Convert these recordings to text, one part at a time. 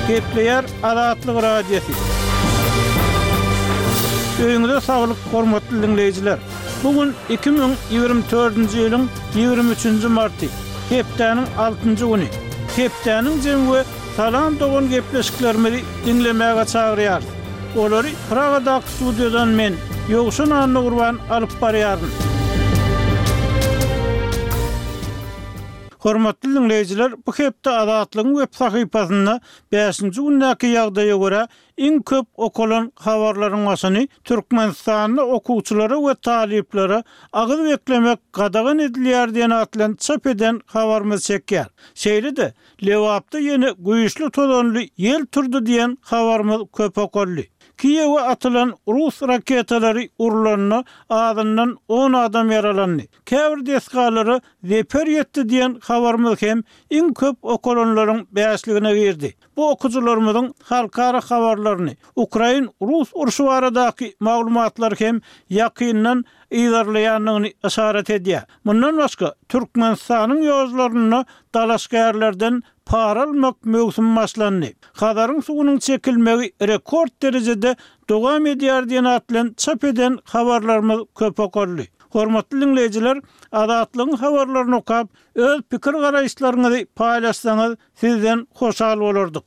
Gepleýär Azatlyk Radiosy. Öýüňize saglyk, hormatly diňleýjiler! Bu gün 2024-nji ýylyň 23-nji marty, hepdäniň altynjy güni. Hepdäniň jemi we Salam dogan gepleşiklerimizi diňlemäge çagyrýarys. Olary Pragadaky studiýadan men, Ýowşan Annagurban alyp barýaryn. Hormatly diňleýjiler, bu hepde Azatlygyň web sahypasynda bäşinji gündäki ýagdaýa görä iň köp okalan habarlaryň başyny Türkmenistanda okuwçylara we talyplara agyz beklemek gadagan edilýär diýen at bilen çap eden habarymyz çekýär. Şeýle-de, Lebapda ýene güýçli tozanly ýel turdy diýen habarymyz köp okaldy. Kiýewe atylan rus raketalary urlanda azyndan on adam ýaralandy. Käbir desgalara zeper ýetdi diýen habarymyz hem iň köp okalanlaryň bäşligine girdi. Bu okyjylarymyzyň halkara habarlaryny, ukrain-rus urşy baradaky maglumatlary hem ýakyndan yzarlaýandygyny yşarat edýär. Mundan başga, Türkmenistanyň ýollarynda dalaşgärlerden para almak möwsümi başlandy. Hazaryň suwunyň çekilmegi rekord derejede dowam edýär diýen at bilen çap eden habarlarymyz köp okaldy. Hormatly diňleýjiler, Azatlygyň habarlaryny okap, öz pikir-garaýyşlaryňyzy paýlaşsaňyz, sizden hoşal bolardyk.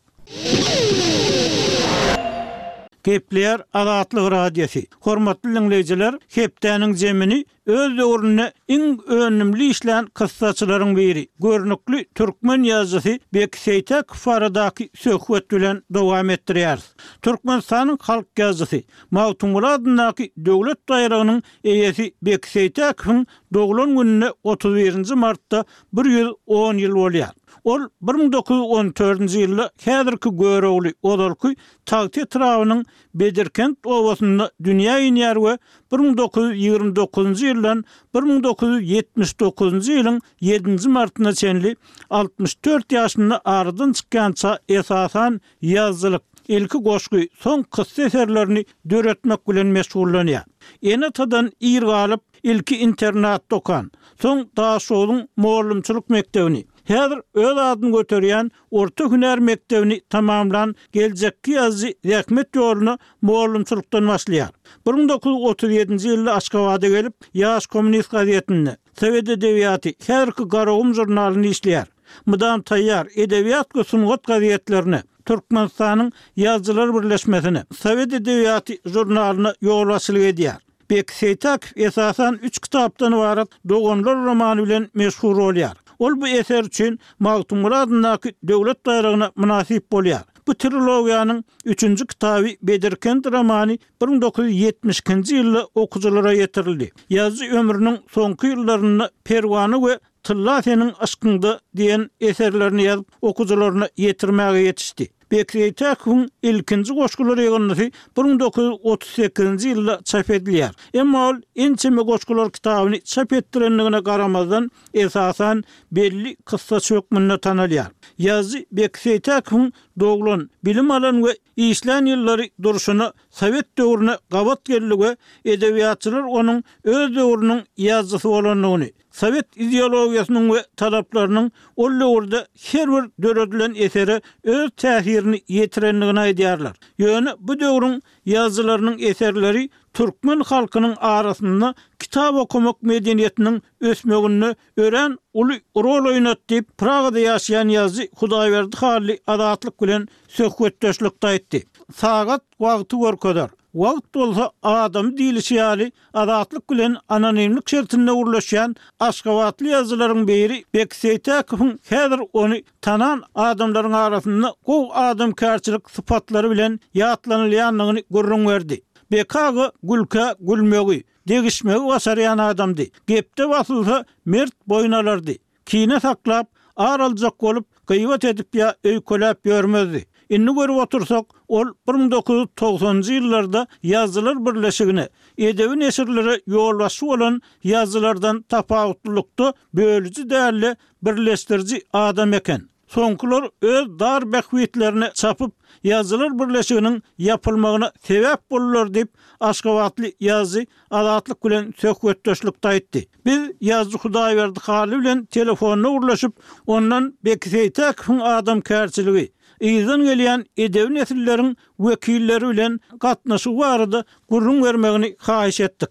Gepleýär Azatlyk Radiosy. Hormatly diňleýjiler, hepdäniň jemini öz döwründe iň önümli işlän kyssaçylaryň biri, görnükli türkmen ýazyjysy Beki Seýtäkow baradaky söhbet bilen dowam etdirýäris. Türkmenistanyň halk ýazyjysy, Magtymguly adyndaky döwlet baýragynyň eýesi Beki Seýtäkowyň doglan gününe 31-nji martda 110 ýyl bolýar. Ol 1914-nji ýylda häzirki Görogly, ozalky Tagta etrabynyň Bedirkent obasynda dünýä inýär we 1929-njy ýyldan 1979-njy ýylyň ýedinji martyna çenli 64 ýaşynda aradan çykýança esasan ýazyjylyk, ilki goşgy, soň kyssa eserlerini döretmek bilen meşgullanýar. Ene-atadan ir galyp, ilki internatda okan, soň Daşogzuň mugallymçylyk mekdebini, häzir öz adyny göterýän orta hünär mekdebini tamamlan geljekki ýazyjy zähmet ýoluna mugallymçylykdan başlaýar. 1937-nji ýylda Aşgabada gelip, Ýaş kommunist gazetinde, Sowet edebiýaty, häzirki Garagum žurnalynda işleýär. Mydam taýýar, Edebiýat we sungat gazetlerine, Türkmenistanyň Ýazyjylar birleşmesine, Sowet edebiýaty žurnalyna ýolbaşçylyk edýär. Beki Seýtäkow esasan üç kitapdan ybarat Doganlar romany bilen meşhur bolýar. Ol bu eser üçin Magtymguly adyndaky döwlet baýragyna mynasyp bolýar. Bu trilogiýanyň üçünji kitaby Bedirkent romany 1972-nji ýylda okyjylara ýetirildi. Ýazyjy ömrüniň soňky ýyllarynda Perwana we Tylla seniň yşkyňda diýen eserlerini ýazyp, okyjylaryna ýetirmäge ýetişdi. Beki Seýtäkowyň ilkinji goşgular ýygyndysy 1938-nji ýylda çap edilýär. Emma ol ençeme goşgular kitabyny çap etdirendigine garamazdan, esasan, belli kyssaçy hökmünde tanalýar. Ýazyjy Beki Seýtäkowyň doglan, bilim alan we işlän ýyllary durşuna sowet döwrüne gabat geldi we edebiýatçylar onuň öz döwrüniň ýazyjysy bolandygyny, Sowet ideologiýasynyň we talaplarynyň ol döwürde her bir döredilen esere öz täsirini ýetirendigini aýdýarlar. Ýöne bu döwrüň ýazyjylarynyň eserleri türkmen halkynyň arasynda kitap okamak medeniýetiniň ösmeginde örän uly rol oýnady diýip, Pragada ýaşaýan ýazyjy Hudaýberdi Hally Azatlyk bilen söhbetdeşlikde aýtdy. Sagat wagty görkezer. Wagt bolsa adamy diýlişi ýaly, Azatlyk bilen anonimlik şertinde gürleşýän aşgabatly ýazyjylaryň biri Beki Seýtäkowyň häzir ony tanan adamlaryň arasynda gowy adamkärçilik sypatlary bilen ýatlanylýandygyny gürrüň berdi. Beki aga gülkä gülmegi, degişmegi başarýan adamdy. Gepde basylsa, mert boýun alardy. Kine saklap, ar aljak bolup, gybat edip ýa öýkeläp ýörmezdi. Indi görüp otursak, ol 1990-njy ýyllarda Ýazyjylar birleşigine, edebi neşirlere ýolbaşçy bolan ýazyjylardan tapawutlylykda bölüji däl-de, birleşdiriji adam eken. Soňkular öz dar bähbitlerine çapyp, Ýazyjylar birleşiginiň ýapylmagyna sebäp boldular diýip, aşgabatly ýazyjy Azatlyk bilen söhbetdeşlikde aýtdy. Biz ýazyjy Hudaýberdi Hally bilen telefonda gürleşip, ondan Beki Seýtäkowyň adamkärçiligi, yzdan gelýän edebi nesilleriň wekilleri bilen gatnaşygy barada gürrüň bermegini haýyş etdik.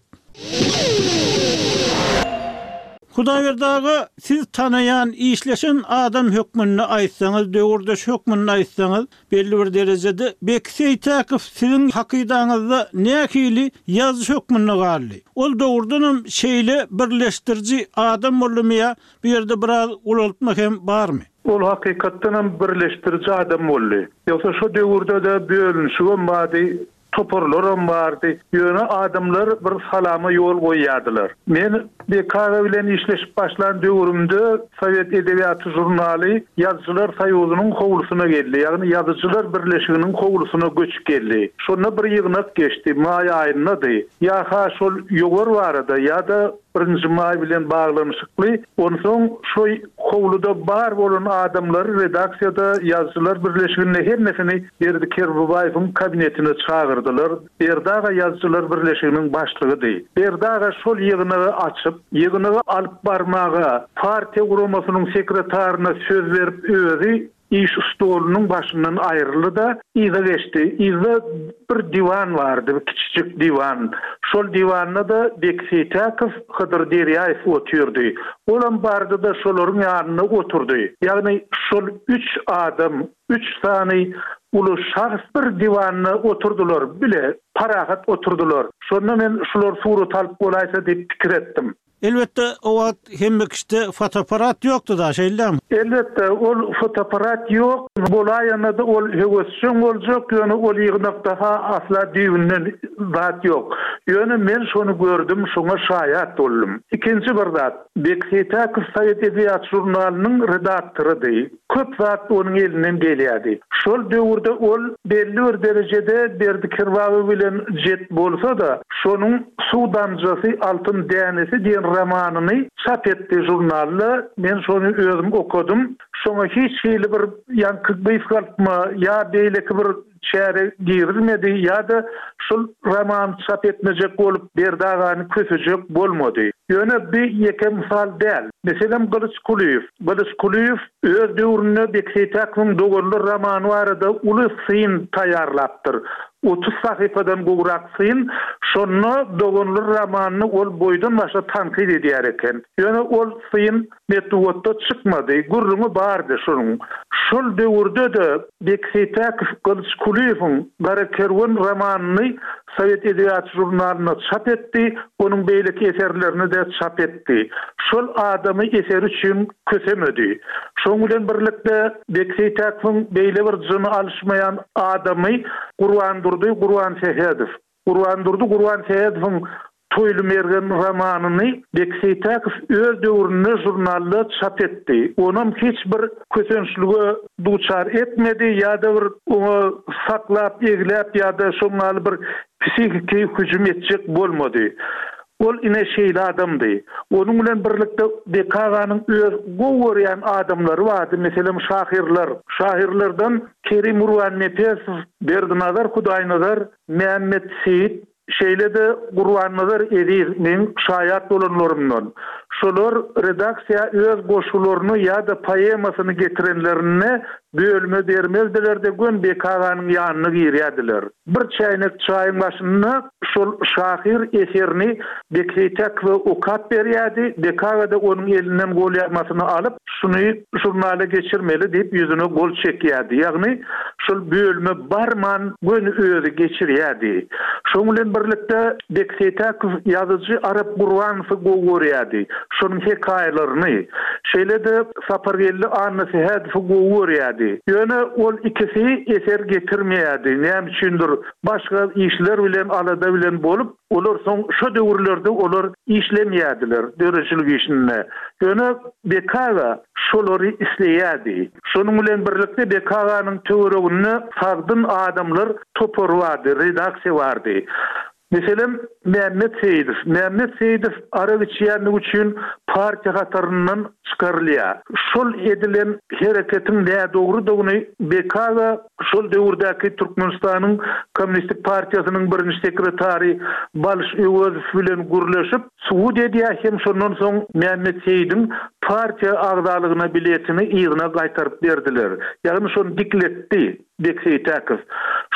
Hudaýberdi aga, siz tanaýan, işleşen adam hökmünde aýtsaňyz, döwürdeş hökmünde aýtsaňyz, belli bir derejede Beki Seýtäkow siziň hakydaňyzda nähili ýazyjy hökmünde galdy? Ol dogrudanam şeýle birleşdiriji adam boldumy ýa bu ýerde biraz ulaltma hem barmy? Ol hakykatdanam birleşdiriji adam boldy. Ýogsa şo döwürde-de bölünişigem bardy, Toparlaram bardy. Ýöne adamlar bir salama ýol goýýardylar. Men Beki aga bilen işleşip başlan döwrümde Sowet edebiýaty žurnaly Ýazyjylar soýuzynyň howlusyna geldi, ýagny Ýazyjylar birleşiginiň howlusyna göçüp geldi. Şonda bir ýygnak geçdi, maý aýyndady. Ýa-ha şol ýowar barada, ýa-da Birinji maý bilen baglanyşykly. Onsoň şo howluda bar bolan adamlary redaksiýada, Ýazyjylar birleşiginde hemmesini Berdi Kerbabaýewiň kabinetine çagyrdylar. Berdi aga Ýazyjylar birleşiginiň başlygydy. Berdi aga şol ýygnagy açyp, ýygnagy alyp barmaga partiýa guramasynyň sekretaryna söz berip özi Iş stolunyň başyndan aýryldy-da, yza geçdi. Yzda bir diwan bardy, bir kiçijik diwan. Şol diwanda-da Beki Seýtäkow, Hydyr Derýaýew otyrdy. Olam bardy-da, şolaryň ýanynda oturdy. Ýagny şol üç adam, üç sany uly şahs bir diwanda oturdylar, bile, parahat oturdylar. Şonda men şular surat alyp bolaýsa diýip pikir etdim. Elbetde, o wagt hemme kişide fotoapparat ýokdy-da, şeýle dälmi? Elbetde, ol fotoapparat ýok. Bolaýanda-da ol höwesjeň boljak, ýöne ol ýygnakda-ha asla düýbünden zat ýok. Ýöne men şony gördüm, şoňa şaýat boldum. Ikinji bir zat, Beki Seýtäkow Sowet edebiýaty žurnalynyň redaktorydy. Köp zat onuň elinden gelýärdi. Şol döwürde ol belli bir derejede Berdi Kerbabow bilen jet bolsa-da, şonuň Suw damjasy, altyn dänesi diýen romanyny çap etdi žurnalda. Men şony özüm okadym. Şoňa hiç hili bir ýaňky gysgaltma ýa beýleki bir çäre girizmedi ýa-da şol romany çap etmejek bolup Berdi agany kösejek bolmady. Ýöne bi ýeke mysal däl. Meselem Gylyç Kulyýew. Gylyç Kulyýew öz döwründe Beki Seýtäkowyň Doganlar romany barada uly syn taýýarlapdyr. 30 sahypadan gowrak syn. Şonda Doganlar romanyny ol boýdan-başa tankyt edýär eken. Ýöne ol syn Metbugatda çykmady, gürrüňi bardy şunuň. Şol döwürde-de Beki Seýtäkow Gylyç Kulyýewiň Gara kerwen romanyny Sowet edebiýaty žurnalynda çap etdi, onuň beýleki eserlerini-de çap etdi. Şol adamy eseri üçin kösemedi. Şonuň bilen birlikde Beki Seýtäkowyň beýle bir jyny alyşmaýan adamy Gurbandurdy Gurbansähedow. Gurbandurdy Gurbansähedowyň Toýly mergen romanyny Beki Seýtäkow öz döwründe žurnalda çap etdi. Onam hiç bir kösençlige duçar etmedi ýa-da bir oňa saklap, egläp ýa-da şoň ýaly bir psihiki hüjüm etjek bolmady. Ol ine şeýle adamdy. Onuň bilen birlikde Beki aganyň öz gowy görýän adamlary bardy, meselem, şahyrlar. Şahyrlardan Kerim Gurbannepesow, Berdinazar Hudaýnazar, Mämmet Seýit, şeýle-de Gurbannazar Eziz meň şaýat bolanlarymdan. Şolar redaksiýa öz goşgularyny ýa-da poemasyny getirenlerinde bölüme bermezdiler-de göni Beki aganyň ýanyna girýärdiler. Bir çäýnek çaýyň başynda şol şahyr eserini Beki Seýtäkowa okap berýärdi, Beki aga-da onuň elinden golýazmasyny alyp, Şuny žurnala geçirmeli diýip ýüzüne gol çekýärdi. Ýagny şol bölüme barman göni özi geçirýärdi. Şonuň bilen birlikde Beki Seýtäkow ýazyjy Arap Gurbanowy gowy görýärdi. Şonuň hekaýalaryny, şeýle-de Sapargeldi Annasähedowy gowy görýärdi. Ýöne ol ikisi eser getirmeýärdi. Näme üçindir başga işler bilen alada bilen bolup, Olar soň şo döwürlerde olar işlemeýärdiler döredijilik işinde. Ýöne Beki aga şolary isleýärdi. Şonuň bilen birlikde Beki aganyň töwereginde sagdyn adamlar topary bardy, redaksiýa bardy. Meselem, Mämmet Seýidow. Mämmet Seýidow arak içýänligi üçin partiýa hataryndan çykarylýar. Şol edilen hereketiň nädogrudygyny Beki aga şol döwürdäki Türkmenistanyň Kommunistik partiýasynyň birinji sekretary Balyş Öwezow bilen gürleşip, subut edýär hem şondan soň Mämmet Seýidiň partiýa agzalygyna biletini yzyna gaýtaryp berdiler. Ýagny şony dikletdi Bek Seýtäkow.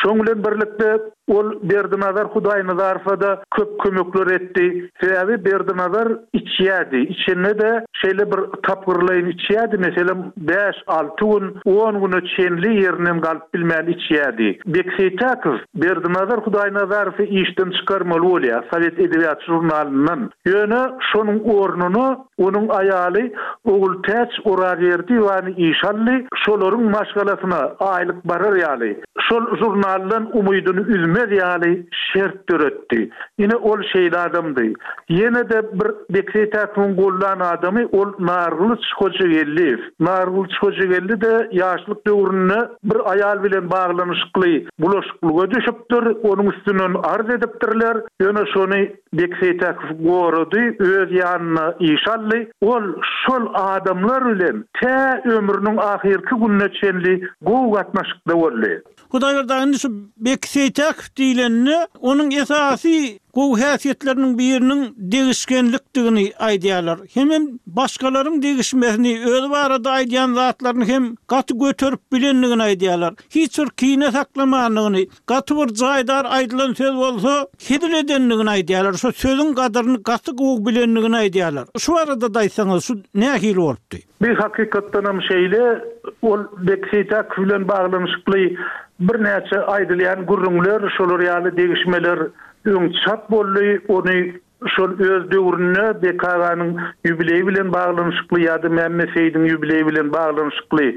Şoň bilen birlikde ol Berdinazar Hudaýnazarowa-da köp kömekler etdi. Sebäbi Berdinazar içýärdi. Içende-de şeýle bir tapgyrlaýyn içýärdi, meselem, bäş-alty gün, on güne çenli ýerinden galyp bilmän içýärdi. Bek Seýtäkow Berdinazar Hudaýnazarowy işden çykarmaly bolýar, Sowet edebiýaty žurnalyndan. Ýöne şonuň ornuna onuň aýaly Ogultäç Orazberdiýewany işe aldy, şolaryň maşgalasyna aýlyk barar ýaly, şol žurnaldan umydyny üzmez ýaly şert döretdi. Ine, ol şeýle adamdy. Ýene-de bir Bek Seýtäkowyň goldan adamy ol Nargylyç Hojageldiýew. Nargylyç Hojageldi-de ýaşlyk döwründe bir aýal bilen baglanyşykly bulaşyklyga düşüpdir, onuň üstünden arz edipdirler, ýöne şony Bek Seýtäkow gorady, öz ýanyna işe aldy. Ol şol adamlar bilen tä ömrüniň ahyrky gününe çenli gowy gatnaşykda boldy. Hudaýberdi aga indi şu Beki Seýtäkow diýlende onuň esasy gowy häsiýetleriniň biriniň degişgenlikdigini aýdýarlar. Hemem başgalaryň degişmesini, özi barada aýdýan zatlaryny hem gaty göterip bilendigini aýdýarlar. Hiç bir kine saklamandygyny, gaty bir jaýdar aýdylan söz bolsa hezil edendigini aýdýarlar. Şo sözüň gadyryny gaty gowy bilendigini aýdýarlar. Şu barada-da aýtsaňyz, şu nähili bolupdy? Bir hakykatdanam şeýle, ol Bek Seýtäkow bilen baglanyşykly birnäçe aýdylýan gürrüňler, şolar ýaly degişmeler öň çap boldy. Ony şol öz döwründe Bek aganyň ýubileýi bilen baglanyşykly ýa-da Mämmet Seýidiň ýubileýi bilen baglanyşykly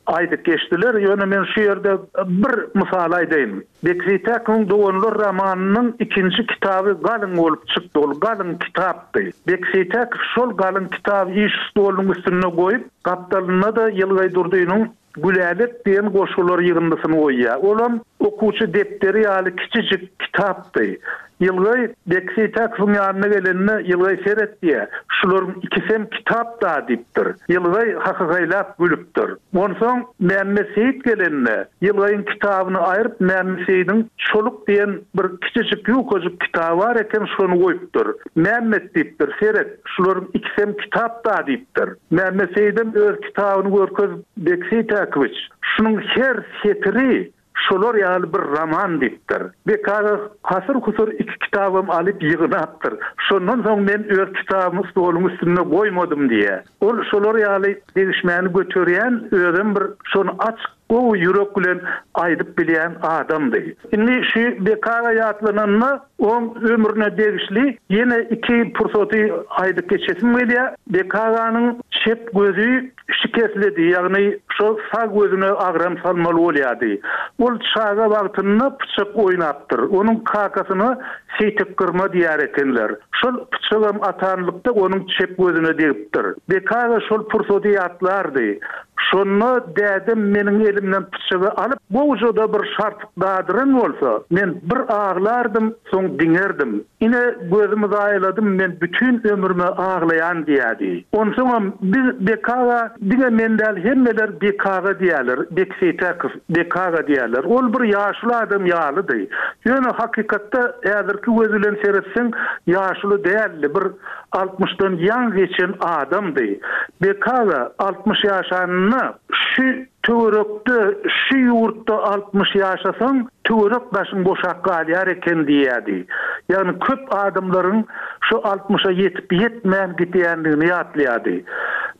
aýdyp geçdiler. Ýöne men şu ýerde bir mysal aýdaýyn. Bek Seýtäkowyň Doganlar romanynyň ikinji kitaby galyň bolup çykdy. Ol galyň kitapdy. Bek Seýtäkow şol galyň kitaby iş stolunyň üstünde goýup, gapdalynda-da Ýylgaý Durdynyň Gülälek diýen goşgular ýygyndysyny goýýar. Olam okuwçy depderi ýaly kiçijik kitapdy. Ýylgaý Bek Seýtäkowyň ýanyna gelende, Ýylgaý seret diýýär, şularyň ikisem kitap-da diýipdir. Ýylgaý hahahaýlap gülüpdir. Onsoň Mämmet Seýit gelende, Ýylgaýyň kitabyny aýryp Mämmet Seýidiň Çoluk diýen bir kiçijik ýukajyk kitaby bar eken, şony goýupdyr. Mämmet diýipdir, seret, şularyň ikisem kitap-da diýipdir. Mämmet Seýidem öz kitabyny görkezip, Bek Seýtäkowiç, şunuň her setiri Şolar ýaly bir roman diýipdir. Bek aga hasyr-husur iki kitabam alyp ýygnapdyr. Şondan soň men öz kitabymy stoluň üstünde goýmadym diýýär. Ol şolar ýaly degişmäni göterýän, özem bir şony açyk, gowy ýürek bilen aýdyp bilýän adamdy. Indi şu Bek aga ýatlananda oň ömrüne degişli ýene iki pursaty aýdyp geçesim gelýär. Bek aganyň çep gözi Şikeslidi, ýagny şo sag gözüne agram salmaly bolýardy. Ol çaga wagtynda pyçak oýnapdyr. Onuň kakasyna Seýtek gyrma diýer ekenler. Şol pyçagam atanlykda onuň çep gözüne degipdir. Beki aga şol pursady ýatlardy. Şonda dädem meniň elimden pyçagy alyp, gowja-da bir şarpyk dadyran bolsa, men bir aglardym, soň diňerdim. Ine, gözümi zaýaladym, men bütin ömrüme aglaýan diýýärdi. Onsoňam biz Bek aga, diňe men däl, hemmeler Bek aga diýýärler, Bek Seýtäkow, Bek aga diýýärler. Ol bir ýaşuly adam ýalydy. Ýöne hakykatda häzirki göz bilen seretseň, ýaşuly däldi, bir altmyşdan ýaňy geçen adamdy. Bek aga 60 ýaşanynda şu Töwerekde, şu ýurtda 60 ýaşasaň, töwerek daşyň boşap galýar eken diýýärdi. Ýagny köp adamlaryň şu altmyşa ýetip-ýetmän gidýändigini ýatlaýardy.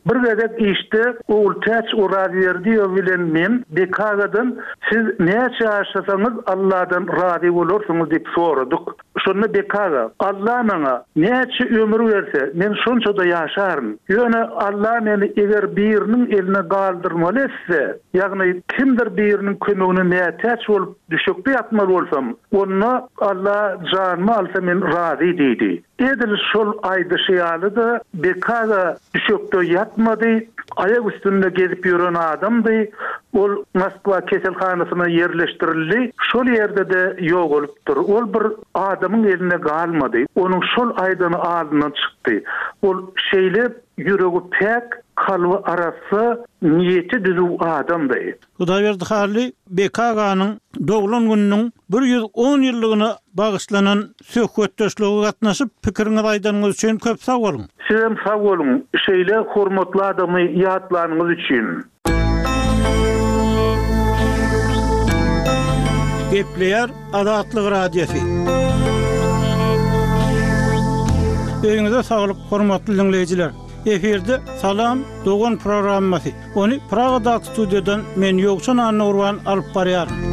Bir gezek işde Ogultäç Orazberdiýewa bilen men Beki agadan Siz näçe ýaşasaňyz Alladan razy bolarsyňyz diýip soradyk. Şonda Beki aga, Alla maňa näçe ömür berse, men şonça-da ýaşaryn. Ýöne Alla meni eger biriniň eline galdyrmaly etse, ýagny kimdir biriniň kömegine mätäç bolup düşekde ýatmaly bolsam, onda Alla janymy alsa men razy diýdi. Edil şol aýdyşy ýaly-da Beki aga düşekde ýatmady, aýak üstünde gezip ýören adamdy. Ol Moskwa keselhanasyna ýerleşdirildi. Şol ýerde-de ýogalypdyr. Ol bir adamyň elinde galmady. Onuň şol aýdany alnyndan çykdy. Ol şeýle ýüregi päk, kalby arassa, niýeti düzüw adamdy. Hudaýberdi Hally Beki aganyň doglan gününiň 110 ýyllygyna bagyşlanan söhbetdeşlige gatnaşyp, pikiriňizi aýdanyňyz üçin köp sag boluň! Sizem sag boluň, şeýle hormatly adamy ýatlanyňyz üçin. Gepleýär Azatlyk Radiosy. Öýüňize saglyk, hormatly diňleýjiler! Efirde Salam, dogan programmasy. Ony Pragadaky studiýadan men Ýowşan Annagurban alyp barýaryn.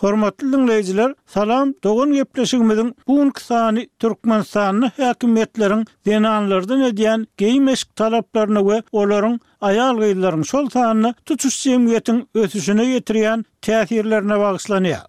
Hormatly diňleýjiler, Salam, dogan gepleşigimiziň bu günki sany Türkmenistanda häkimiýetleriň zenanlardan edýän geýim-eşik talaplaryna we olaryň aýal-gyzlaryň, şol sanda tutuş jemgyýetiň ösüşine ýetirýän täsirlerine bagyşlanýar.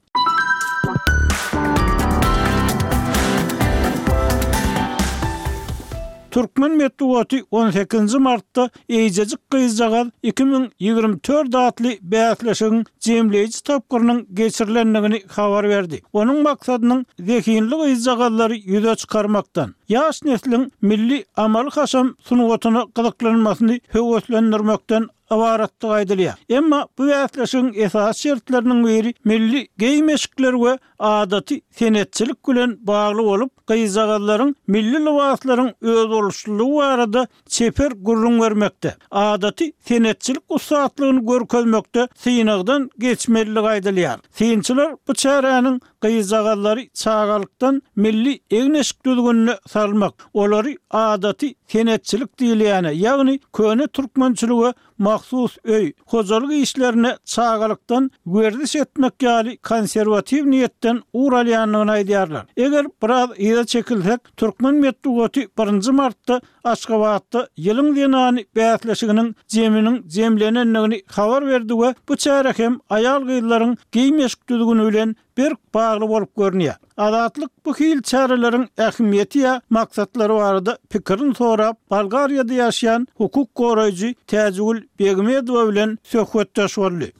Türkmen metbugaty on sekizinji martda Eýjejik gyzjagaz 2024 atly bäsleşigiň jemleýji tapgyrynyň geçirilendigini habar berdi. Onuň maksadynyň zehinli gyzjagazlary ýüze çykarmakdan, ýaş nesliň milli amaly-haşam sungatyna gyzyklanmasyny höweslendirmekden ybaratdygy aýdylýar. Emma bu bäsleşigiň esasy şertleriniň biri milli geýim-eşikler we adaty senetçilik bilen bagly bolup, gyzjagazlaryň milli lybaslaryň özboluşlylygy barada çeper gürrüň bermekde, adaty senetçilik ussatlygyny görkezmekde synagdan geçmelidigi aýdylýar. Synçylar bu çäräniň gyzjagazlary çagalykdan milli egin-eşik düzgünine salmak, olary adaty senetçilik diýilýäne, ýagny köne türkmençilige mahsus öý, hojalyk işlerine çagalykdan werziş etmek ýaly konserwatiw niýetden ugur alýandygyny aýdýarlar. Eger biraz yza çekilsek, türkmen metbugaty birinji martda Aşgabatda Ýylyň zenany bäsleşiginiň jeminiň jemlenendigini habar berdi we bu çäre hem aýal-gyzlaryň geýim-eşik düzgüni bilen berk bagly bolup görünýär. Azatlyk bu hili çäreleriň ähmiýeti ýa maksatlary barada pikirini sorap, Bolgariýada ýaşaýan hukuk goraýjy Täjigül Begmedowa bilen söhbetdeş boldy.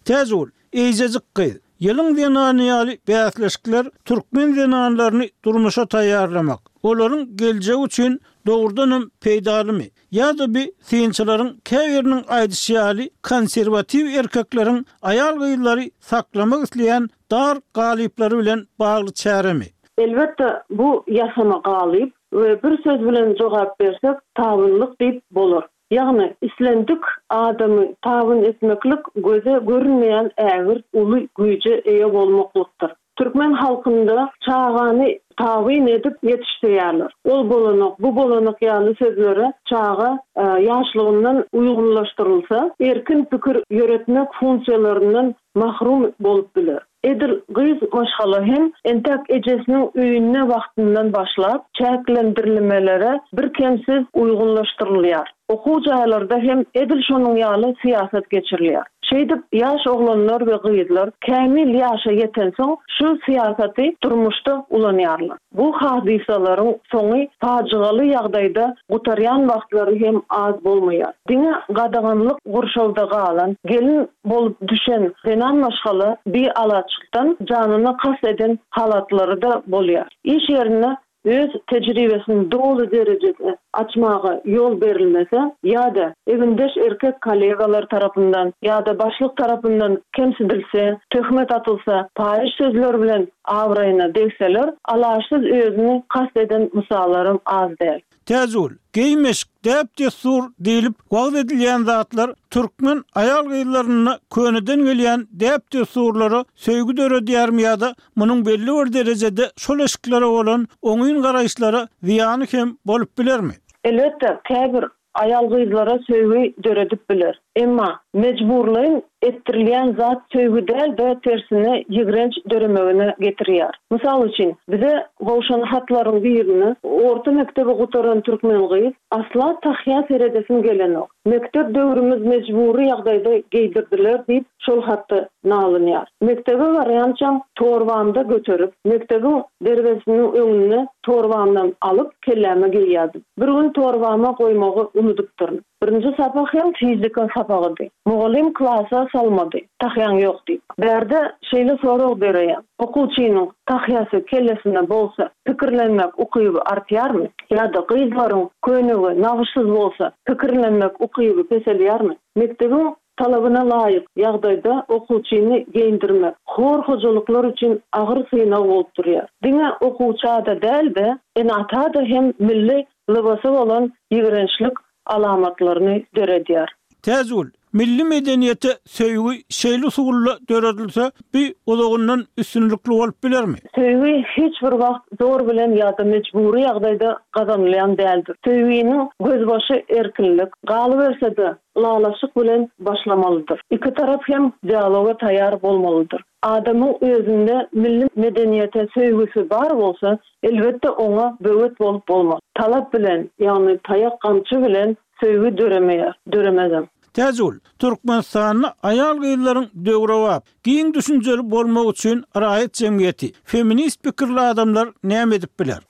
Täjigül, Eýjejik gyz, Ýylyň zenany ýaly bäsleşikler türkmen zenanlaryny durmuşa taýýarlamak, olaryň geljegi üçin dogrudanam peýdalymy? Ýa-da bi synçylaryň käbiriniň aýdyşy ýaly konserwatiw erkekleriň aýal-gyzlary saklamak isleýän dar galyplary bilen bagly çäremi? Elbetde, bu ýasama galyp we bir söz bilen jogap bersek tabynlyk diýip bolar. Ýagny, islendik adamy tabyn etmeklik göze görünmeýän ägirt uly güýje eýe bolmaklykdyr. Türkmen halkynda çagany tabyn edip ýetişdirýärler. Ol bolanok, bu bolanok ýaly sözlere çaga ýaşlygyndan uýgunlaşdyrylsa, erkin pikir ýöretmek funksiýalaryndan mahrum bolup biler. Edil gyz maşgala hem entäk ejesiniň öýünde wagtyndan başlap çäklendirlimelere birkemsiz uýgunlaşdyrylýar. Okuw jaýlarda hem edil şonuň ýaly syýasat geçirilýär. Şeýdip, ýaş oglanlar we gyzlar kämil ýaşa ýetensoň şu syýasaty durmuşda ulanýarlar. Bu hadysalaryň soňy pajygaly ýagdaýda gutarýan wagtlary hem az bolmaýar. Diňe gadaganlyk gurşawda galan, gelin bolup düşen zenan maşgala bialaçlykdan janyna kast eden halatlary-da bolýar. Iş ýerinde öz tejribesini doly derejede açmaga ýol berilmese ýa-da egindeş erkek kollegalar tarapyndan ýa-da başlyk tarapyndan kemsidilse, töhmet atylsa, paýyş sözler bilen abraýyna degseler, alaçsyz özüni kast eden mysallaram az däl. Täjigül, geýim-eşik, däp-dessur diýlip wagyz edilýän zatlar türkmen aýal-gyzlarynda köneden gelýän däp-dessurlara söýgi döredýärmi ýa-da munuň belli bir derejede şol eşiklere bolan oňyn garaýyşlara zyýany hem bolup bilermi? Elbetde, käbir aýal-gyzlara söýgi döredip biler. Emma mejburlaýyn etdirilýän zat söýgi däl-de, tersine ýigrenç döremegine getirýär. Mysal üçin, bize gowşan hatlaryň birinde orta mekdebi gutaran türkmen gyz, Asla tahýa seredesim gelenok. Mekdep döwrümiz mejbury ýagdaýda geýdirdiler diýip, şol hatda nalynýar. Mekdebe barýançam torbamda göterip, mekdebiň derwezesiniň öňünde torbamdan alyp, kelläme geýýärdim. Bir gün torbama goýmagy unudypdyryn. Birinji sapak hem fizika sapagydy. Mugallym klasa salmady, tahýaň ýok diýip. Bärde şeýle sorag döreýär, okuwçynyň tahýasy kellesinde bolsa, pikirlenmek ukyby artýarmy? Ýa-da gyzlaryň köýnegi nagyşsyz bolsa, pikirlenmek ukyby peselýärmi? Mekdebiň talabyna laýyk ýagdaýda okuwçyny geýindirmek hor hojalyklar üçin agyr synag bolup durýar. Diňe okuwça-da däl-de, ene-ata-da hem milli lybasa bolan ýigrençlik alamatlaryny döredýär. Täjigül, milli medeniýete söýgi şeýle usulda döredilse, bu uzagyndan üstünlikli bolup bilermi? Söýgi hiç bir wagt zor bilen ýa-da mejbury ýagdaýda gazanylýan däldir. Söýginiň gözbaşy erkinlik, galyberse-de, ylalaşyk bilen başlamalydyr. Iki tarap hem dialoga taýýar bolmalydyr. Adamyň özünde milli medeniýete söýgüsi bar bolsa, elbetde oňa böwet bolup bolmaz. Talap bilen, ýagny taýak-gamçy bilen söýgi döremeýär, döremezem. Täjigül, Türkmenistanda aýal-gyzlaryň döwrebap, giň düşünjeli bolmagy üçin raýat jemgyýeti, feminist pikirli adamlar näme edip biler?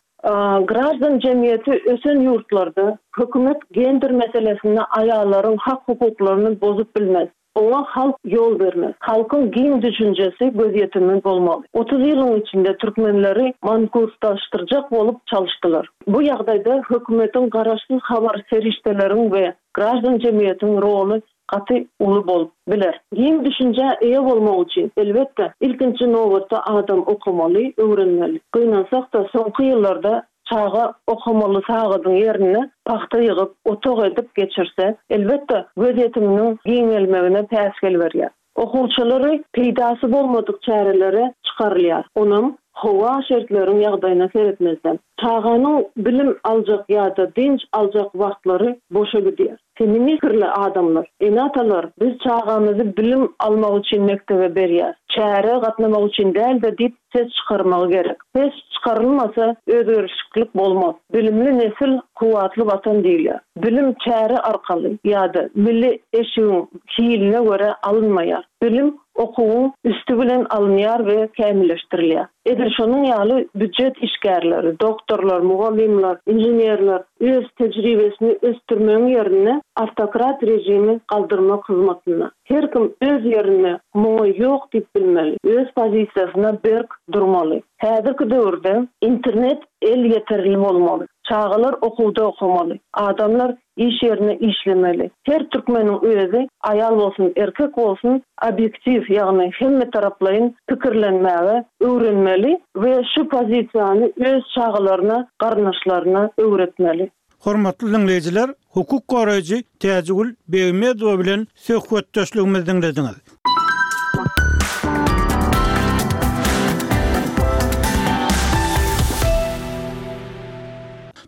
Graždan jemgyýeti ösen ýurtlarda hökümet gender meselesinde aýallaryň hak-hukuklaryny bozup bilmez. Oňa halk ýol bermez. Halkyň giň düşünjesi, gözýetimi bolmaly. 30 ýylyň içinde türkmenleri mankurtlaşdyrjak bolup çalyşdylar. Bu ýagdaýda hökümetiň garaşsyz habar serişdeleriň we graždan jemgyýetiň roly gaty uly bolup biler. Giň düşünjä eýe bolmak üçin, elbetde, ilkinji nobatda adam okamaly, öwrenmeli. Gynansak-da, soňky ýyllarda çaga okamaly sagadyň ýerine pagta ýygyp, otag edip geçirse, elbetde, gözýetiminiň giňelmegine päsgel berýär. Okuwçylary peýdasy bolmadyk çärelere çykarylýar, onam howa şertleriň ýagdaýyna seretmezden. Çaganyň bilim aljak ýa-da dynç aljak wagtlary boşa gidýär. Feminist pikirli adamlar, ene-atalar biz çagamyzy bilim almak üçin mekdebe berýäs, çärä gatnamak üçin däl-de diýip ses çykarmagy gerek. Ses çykarylmasa özgerişiklik bolmaz. Bilimli nesil kuwwatly watan diýilýär. Bilim çäre arkaly ýa-da milli eşigiň hiline görä alynmaýar. Bilim okuwyň üsti bilen alynýar we kämilleşdirilýär. Edil şonuň ýaly býujet işgärleri, doktorlar, mugallymlar, inženerler öz tejribesini ösdürmegiň ýerine awtokrat režimi galdyrmak hyzmatynda. Her kim öz ýerinde muňa ýok diýip bilmeli, öz pozisiýasyna berk durmaly. Häzirki döwürde internet elýeterli bolmaly. Çagalar okuwda okamaly. Adamlar iş ýerinde işlemeli. Her türkmeniň özi, aýal bolsun, erkek bolsun, obýektiw, ýagny hemmetaraplaýyn pikirlenmäge öwrenmeli we şu pozisiýany öz çagalaryna, garyndaşlaryna öwretmeli. Hormatly diňleýjiler, hukuk goraýjy Täjigül Begmedowa bilen söhbetdeşligimizi diňlediňiz.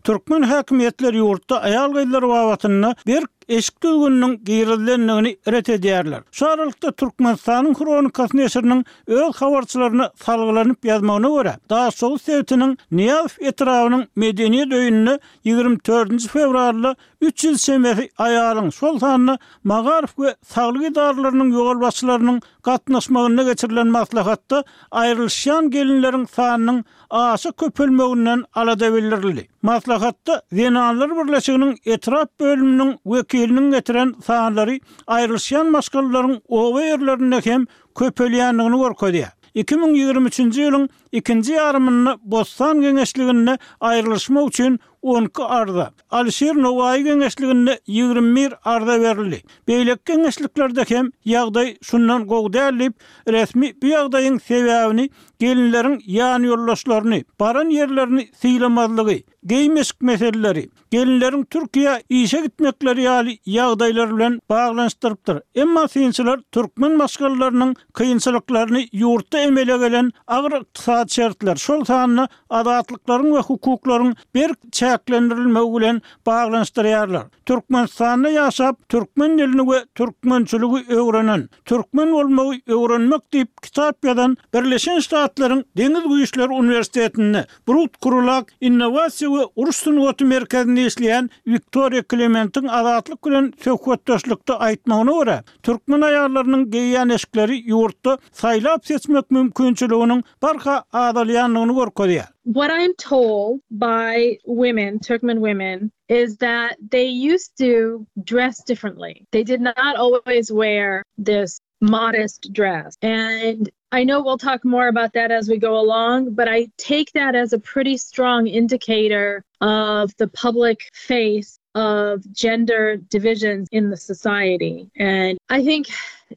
Türkmen häkimiýetleri ýurtda aýal-gyzlar babatynda berk eşik düzgüniniň girizilendigini ret edýärler. Şu aralykda, Türkmenistanyň Hronikasy neşiriniň öz habarçylaryna salgylanyp ýazmagyna görä, Daşoguz sebitiniň Nyýazow etrabynyň Medeniýet öýünde 24 fewralda 300 çemesi aýalyň, şol sanda magaryf we saglyk edaralarynyň ýolbaşçylarynyň gatnaşmagynda geçirilen maslahatda aýrylyşýan gelinleriň sanynyň aşa köpelmeginden alada bildirildi. Maslahatda Zenanlar birleşiginiň etrap bölüminiň wekiliniň getiren sanlary aýrylyşýan maşgalalaryň oba ýerlerinde hem köpelýändigini görkezýär. 2023-nji ýylyň ikinji ýarymynda Bossan geňeşliginde aýrylyşmak üçin 12 arza, Alyşir Nowaýy geňeşliginde 21 arza berildi. Beýleki geňeşliklerde hem ýagdaý şundan gowy däl diýip, resmi bu ýagdaýyň sebäbini gelinleriň ýanýoldaşlaryny, baran ýerlerini sylamazlygy, geýim-eşik meseleleri, gelinleriň Türkiýä işe gitmekleri ýaly ýagdaýlar bilen baglanyşdyrypdyr. Emma synçylar türkmen maşgalalarynyň kynçylyklaryny ýurtda emele gelen agyr ykdysady şertler, şol sanda azatlyklaryň we hukuklaryň berk çäklendirilmegi. çäklendirilmegi bilen baglanyşdyrýarlar. Türkmenistanda ýaşap, türkmen dilini we türkmençiligi öwrenen, Türkmen bolmagy öwrenmek diýip kitap ýazan Birleşen Ştatlaryň Deňiz güýçleri uniwersitetinde Brut Krulak innowasiýa we uruş sungaty merkezinde işleýän Wiktoriýa Klementiň Azatlyk bilen söhbetdeşlikde aýtmagyna görä, türkmen aýallarynyň geýýän eşikleri ýurtda saýlap-seçmek mümkinçiliginiň barha azalýandygyny görkezýär. What I'm told by women, Turkmen women, is that they used to dress differently. They did not always wear this modest dress. And I know we'll talk more about that as we go along, but I take that as a pretty strong indicator of the public face of gender divisions in the society. And I think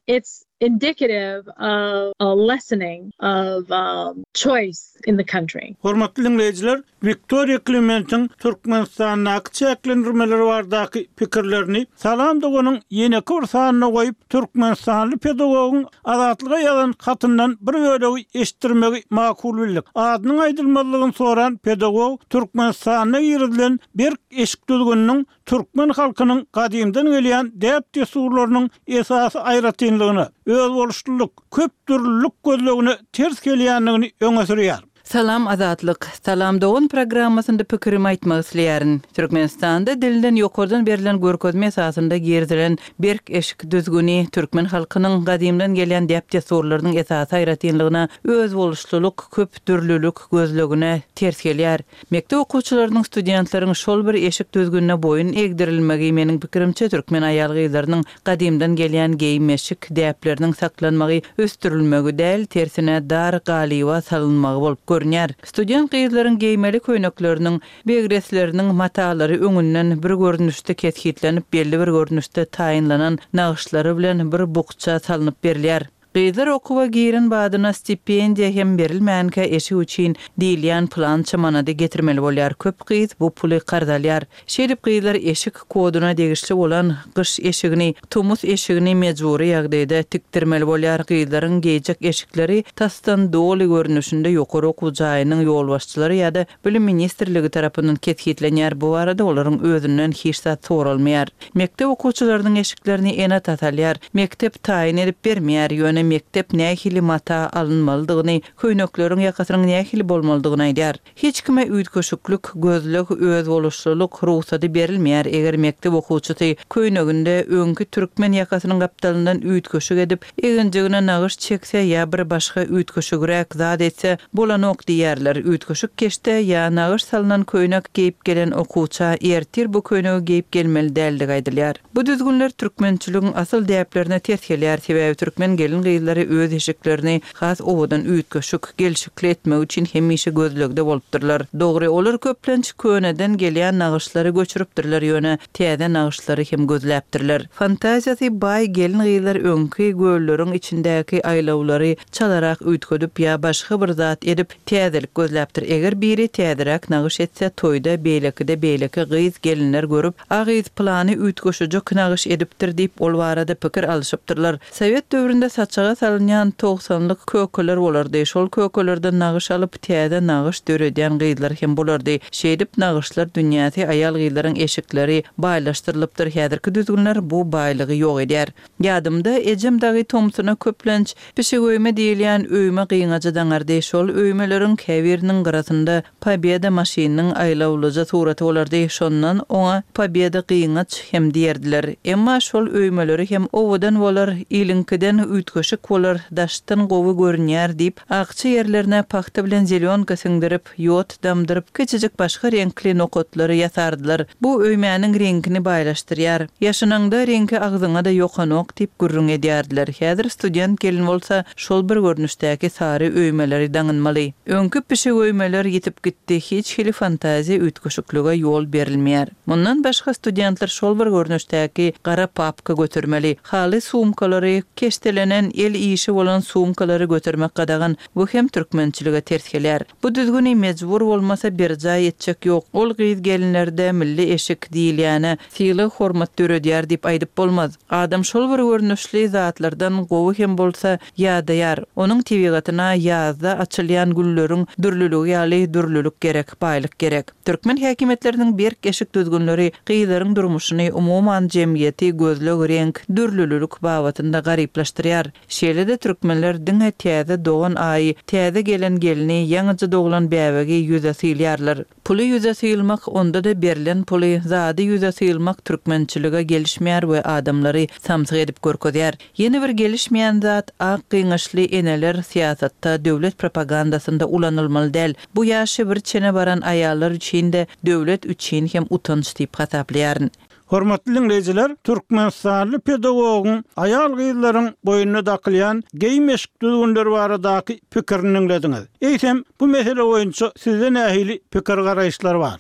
it's indicative of a lessening of um, choice in the country. Hormatly diňleýjiler, Wiktoriýa Klementiň Türkmenistandaky çäklendirmeler baradaky pikirlerini Salam doganyň ýeneki bir sanyna goýup, türkmenistanly pedagogyň Azatlyga ýazan hatyndan bir bölegi eşitdirmegi makul bildik. Adynyň aýdylmazlygyny soran pedagog Türkmenistanda girizilen berk eşik düzgüniniň türkmen halkynyň gadymdan gelýän däp-dessurlarynyň esasy aýratynlygyna, özboluşlylyk, köpdürlülik gözlegine ters gelýändigini öňe sürýär. Salam Azatlyk. Salam dogan programmasynda pikirimi aýtmak isleýärin. Türkmenistanda dilden ýokardan berlen görkezme esasynda girizilen berk eşik düzgüni türkmen halkynyň gadymdan gelýän däp-dessurlarynyň esasy aýratynlygyna özboluşlylyk, köp dürlülik gözlegine ters gelýär. Mekdep okuwçylarynyň, studentleriň şol bir eşik düzgünine boýun egdirilmegi, meniň pikirimçe, türkmen aýal-gyzlarynyň gadymdan gelýän geýim-eşik däpleriniň saklanmagy, ösdürilmegi däl, tersine, dar galyba salynmagy bolup görünýär. Student gyzlaryň geýmeli köýnekleriniň, begresleriniň matalary öňünden bir görnüşde kesgitlenip, belli bir görnüşde taýynlanan nagyşlary bilen bir bukja salnyp berilýär. Gyzlar okuwa giren badyna stipendiýa hem berilmänkä eşik üçin diýilýän pylança manady getirmeli bolýar. Köp gyz bu puly karz alýar. Şeýdip gyzlar eşik koduna degişli bolan gyş eşigini, tomus eşigini mejbury ýagdaýda tikdirmeli bolýar. Gyzlaryň geýjek eşikleri tasdan doly görnüşinde ýokary okuw jaýynyň ýolbaşçylary ýa-da Bilim ministrligi tarapyndan kesgitlenýär, bu barada olaryň özünden hiç zat soralmaýar. Mekdep okuwçylarynyň eşiklerini ene-atasy alýar. Mekdep taýyn edip bermeýär, ýöne mekdep nähili mata alynmalydygyny, köýnekleriň ýakasynyň nähili bolmalydygyny aýdýar. Hiç kime üýtgeşiklik, gözleg, özboluşlylyk rugsady berilmeýär, eger mekdep okuwçysy köýneginde öňki türkmen ýakasynyň gapdalyndan üýtgeşik edip, Eginjigine nagyş çekse ýa bir başga üýtgeşigräk zat etse, bolanok diýýärler. Üýtgeşik keşde ýa nagyş salnan köýnek geýip gelen okuwça ertir bu köýnegi geýip gelmeli däldigi aýdylýar. Bu düzgünler türkmençiligiň asyl däplerine ters gelýär, sebäbi türkmen gelin-gyzlary öz eşiklerini has owadan üýtgeşik, gelşikli etmek üçin hemişe gözlegde bolupdyrlar. Dogry, olar köplenç köneden gelýän nagyşlary göçüripdirler, ýöne täze nagyşlary hem gözläpdirler. Fantaziýasy baý gelin-gyzlar öňki gölleriň içindäki aýlawlary çalarak üýtgedip ýa başga bir zat edip, täzelik gözläpdir. Eger biri täzeräk nagyş etse, toýda beýlekide beýleki gyz-gelinler görüp, A gyz pylany üýtgeşijek nagyş edipdir diýip, ol barada pikir alyşypdyrlar. Sowet döwründe saçaga salynýan togsanlyk kökeler bolardy. Şol kökelerden nagyş alyp, täze nagyş döredýän gyzlar hem bolardy. Şeýdip, nagyşlar dünýäsi, aýal-gyzlaryň eşikleri baýlaşdyrylypdyr. Häzirki düzgünler bu baýlygy ýok edýär. Ýadymda, ejem dagy tomsuna köplenç pişigöýme diýilýän öýme gyňajy daňardy. Şol öýmeleriň käbiriniň gyrasynda Pobeda maşynynyň aýlawlyja suraty bolardy, şondan oňa Pobeda gyňaç hem diýerdiler. Emma şol öýmeleri hem owadan bolar, iliňkiden üýtgeşik bolar, daşdan gowy görünýär diýip, akja ýerlerine pagta bilen zelýonka siňdirip, ýod damdyryp, kiçijik başga reňkli nokatlary ýasardylar. Bu öýmäniň reňkini baýlaşdyrýar. Ýaşynaňda reňki agzyňa-da ýokanok diýip gürrüň edýärdiler. Häzir student gelin bolsa, şol bir görnüşdäki sary öýmeleri daňynmaly. Öňki pişik öýmeler ýitip gitdi, hiç hili fantaziýa üýtgeşiklige ýol berilmeýär. Mundan başga studentler şol bir görnüşdäki gara papka götermeli, haly sumkalary, keşdelenen el işi bolan sumkalary götermek gadagan. Bu hem türkmençilige ters gelýär. Bu düzgüni mejbur bolmasa berjaý etjek ýok. Ol gyz-gelinlerde milli eşik diýilýäne sylag-hormat döredýär diýip aýdyp bolmaz. Adam şol bir görnüşli zatlardan gowy hem bolsa ýadaýar. Onuň tebigatyna ýazda açylýan gülleriň dürlüligi ýaly dürlülik gerek, baýlyk gerek. Türkmen häkimiýetleriniň berk eşik düzgünleri gyzlaryň durmuşyny, umuman jemgyýeti gözleg, reňk, dürlülilik babatynda garyplaşdyrýar. Şeýle-de türkmenler diňe täze dogan aýy, täze gelen gelni, ýaňyja doglan bäbegi ýüze sylýarlar. Puly ýüze sylmak, onda-da berlen puly, zady ýüze sylmak türkmençilige gelişmeýär we adamlary samsyk edip görkezýär. Ýene bir gelişmeýän zat, ak gyňaçly eneler syýasatda, döwlet propagandasynda ulanylmaly däl. Bu ýaşy bir çene baran aýallar üçin-de, döwlet üçin hem utanç diýip hasaplaýaryn. Hormatly diňleýjiler, türkmenistanly pedagogyň aýal-gyzlaryň boýnuna dakylýan geýim-eşik düzgünleri baradaky pikirini diňlediňiz. Eýsem, bu mesele boýunça sizde nähili pikir-garaýyşlar bar?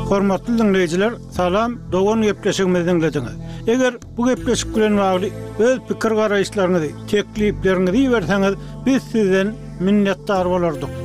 Hormatly diňleýjiler, Salam, dogan gepleşigimizi diňlediňiz. Eger bu gepleşik bilen bagly öz pikir-garaýyşlaryňyzy, teklipleriňizi iberseňiz, biz sizden minnetdar bolardyk.